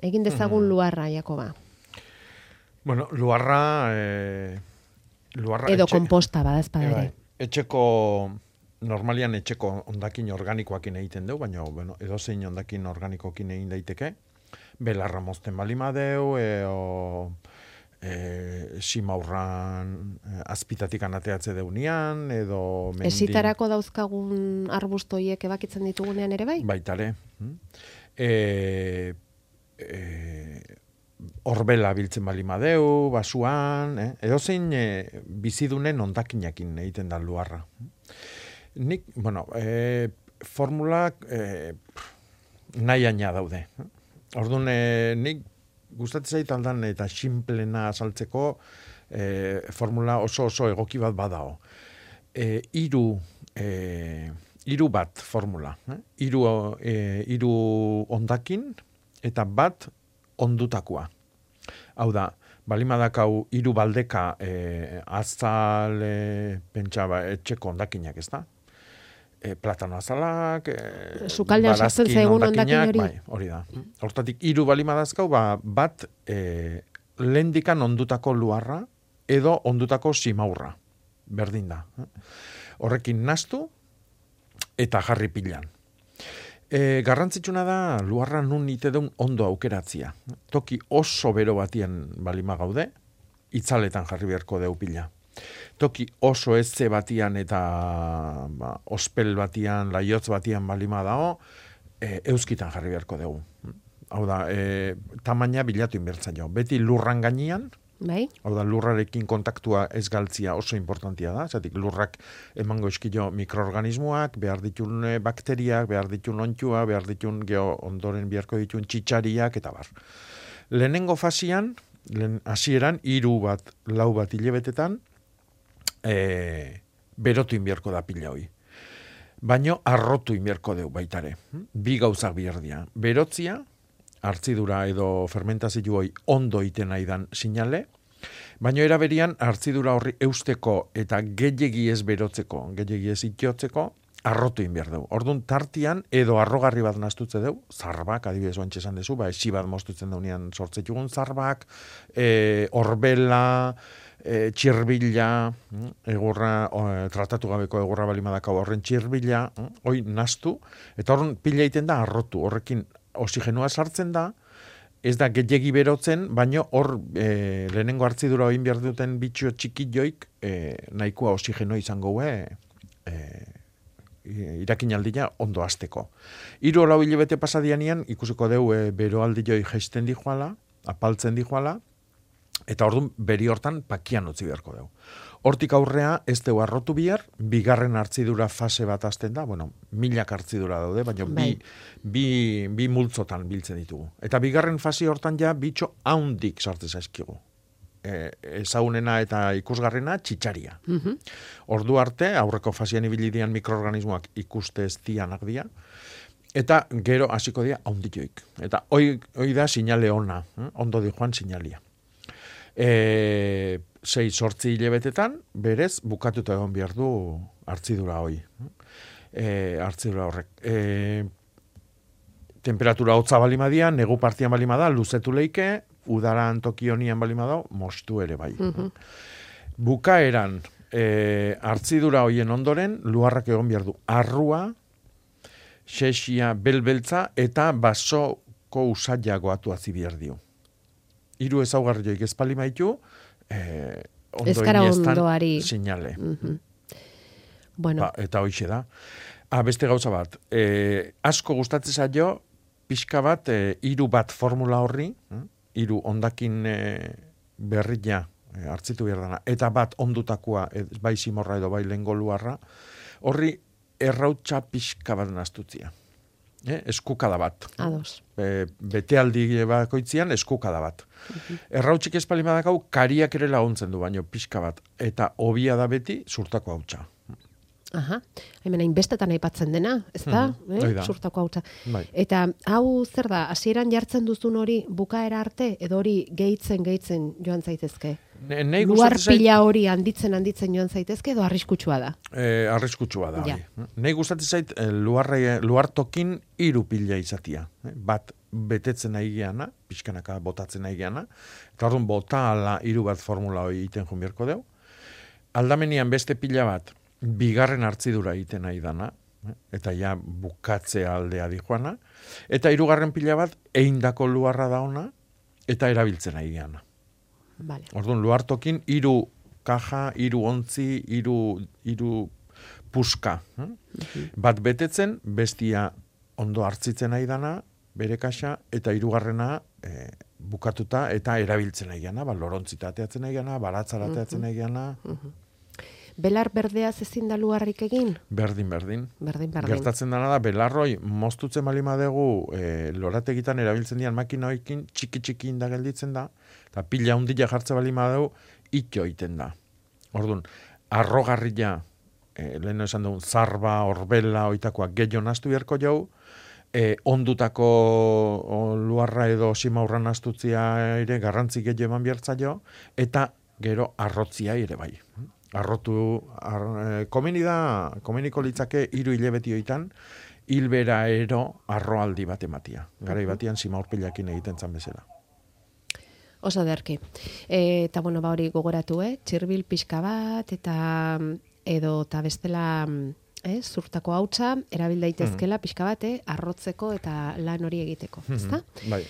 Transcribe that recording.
Egin dezagun luarra, Jakoba. Bueno, luarra Edo komposta badazpada ere. Normalian etxeko hondakin organikoakin egiten dugu, baina bueno, edozein hondakin organikoekin egin daiteke. Belarra mozten balimadeu, simaurran azpitatik anateatze deunian, edo mendin. Esitarako dauzkagun arbustoiek ebakitzen ditugunean ere bai? Baitare. Horbela biltzen balimadeu, basuan, edozein bizidunen hondakinakin egiten da luarra. Nik, bueno, formulak nahiaina daude. Orduan, nik gustatzen zait aldan eta simplena azaltzeko formula oso egoki bat badao. Hiru bat formula. Hiru hondakin eta bat ondutakoa. Hau da, balimadakau hiru baldeka azal etxeko hondakinak, ez da? Platano azalak, sukaldean sartzen zaigun hondakin hori. Bai, hori da. Hortatik hiru balimadazkau, bat lehendikan ondutako luarra edo ondutako simaurra. Berdin da. Horrekin nastu eta jarri pilan. Garrantzitsuna da luarra nun ite deun ondo aukeratzia. Toki oso bero batien balima gaude, itzaletan jarri beharko deu pila. Toki oso ezze batian eta ospel batian, laiotz batian balima dao, euskitan jarri beharko dugu. Hau da, tamaina bilatu inbertza jo. Beti lurran gainean, bai? Hau da, lurrarekin kontaktua ez galtzia oso importantia da. Zatik, lurrak emango eskilo mikroorganismoak, behar ditun bakteriak, behar ditun ontzua, behar ditun ondoren beharko ditun txitsariak, eta bar. Lehenengo fasian, hasieran 3 bat, 4 bat hilebetetan, berotu inbierko da pila hoi. Baino arrotu inbierko deu baitare. 2 gauzak biherdia. Berotzia, hartzidura edo fermentazio hoi ondo iten aidan sinale, baino eraberian hartzidura horri eusteko eta gehiegi ez berotzeko, gehiegi ez itiotzeko, arrotu inbier deu. Orduan tartian edo arrogarri bat nastutze deu, zarbak, adibidez oantxe esan dezu, esi bat mostutzen daunean sortzetugun zarbak, horbela, txirbila, egurra, tratatu gabeko egurra balimadaka horren txirbila, hoi nastu, eta horren pila iten da arrotu, horrekin oxigenua sartzen da, ez da gehiegi berotzen, baino hor lehenengo hartzidura oin behar duten bitxo txikilloik nahikoa oxigenua izango irakinaldia ondo hasteko. 3-4 hilabete pasadianian ikusiko deu beroaldioi jaisten dijoala, apaltzen dijoala, eta orduan beri hortan pakian utzi beharko deu. Hortik aurrea ez deu arrotu bihar, bigarren hartzidura fase bat hasten da, bueno, 1000 hartzidura daude, baina bi multzotan biltzen ditugu. Eta bigarren fase hortan ja bitxo haundik sartzen zaizkigu. Ezagunena eta ikusgarrena txitsaria. Ordu arte, aurreko fasean ibilidian mikroorganismoak ikuste ez dianak dia, eta gero hasiko dia haunditioik. Eta hoi da sinale ona, ondo di joan sinalia. 6-8 hilebetetan, berez, bukatuta egon behar du hartzidura hoi. Hartzidura horrek. Temperatura hotza balima negu partian balima da, luzetu leike, udaran tokionian balima da, mostu ere bai. Bukaeran, hartzidura hoien ondoren, luarrak egon behar du arrua, xexia, belbeltza, eta basoko usaila goatu azi behar dio. 3 ezaugarri joik ez palima ditu, ezkara ondoari sinale. Bueno. Eta hoixe da. Beste gauza bat, asko gustatzen zaio, pixka bat, 3 bat formula horri, 3 hondakin berria hartzitu behar dana, eta bat ondutakoa, bai simorra edo bai lehengo luarra, horri errautxa pixka bat nastutzia. Eskukada bat. Ados. Betealdi bakoitzian eskukada bat. Errautxik espalimadakau kariak ere laguntzen du, baino pixka bat. Eta hobia da beti zurtako hautsa. Aha, hemen hainbestetan aipatzen dena, ez da? Zurtako hautsa. Bai. Eta hau zer da, hasieran jartzen duzun hori bukaera arte, edo hori gehitzen joan zaitezke? Luar pila hori handitzen joan zaitezke edo arriskutsua da? Arriskutsua da. Ja. Nei gustatzen zait luartokin 3 pila izatia. Bat betetzen nahi geana, pixkanaka botatzen nahi geana, eta orduan bota ala 3 bat formula hori egiten joan beharko deu. Aldamenian beste pila bat, bigarren hartzidura egiten nahi dana, eta ja bukatze aldea dijoana, eta 3. pila bat, eindako luarra da ona, eta erabiltzen nahi geana. Vale. Orduan, luartokin 3 kaja, 3 ontzi, 3 puska. Bat betetzen, bestia ondo hartzitzen nahi dana, bere kaxa, eta 3. Bukatuta eta erabiltzen nahi gana, lorontzita ateatzen nahi gana, baratzara ateatzen nahi gana. Belar berdeaz ezin da luarrik egin? Berdin. Berdin. Gertatzen dana da, belarroi moztutzen balima dugu lorategitan erabiltzen dian makinoekin txiki inda gelditzen da, eta pila hundila jartze balima dugu, itxo egiten da. Orduan, arrogarria, lehen esan dugu, zarba, orbela, oitakoak gehiago nastu beharko jau, ondutako luarra edo simaurra nastutzia ere garrantzi gehiago eman behartza jo, eta gero arrotzia ere bai. Komeniko litzake 3 hilabetioitan, hilbera ero arroaldi bat ematia. Garai batian simaurpilakin egiten zan bezala. Oso derki. Eta hori gogoratu, txirbil pixka bat, eta bestela zurtako hautsa erabil daitezkela pixka bat, arrotzeko eta lan hori egiteko, ezta? Bai.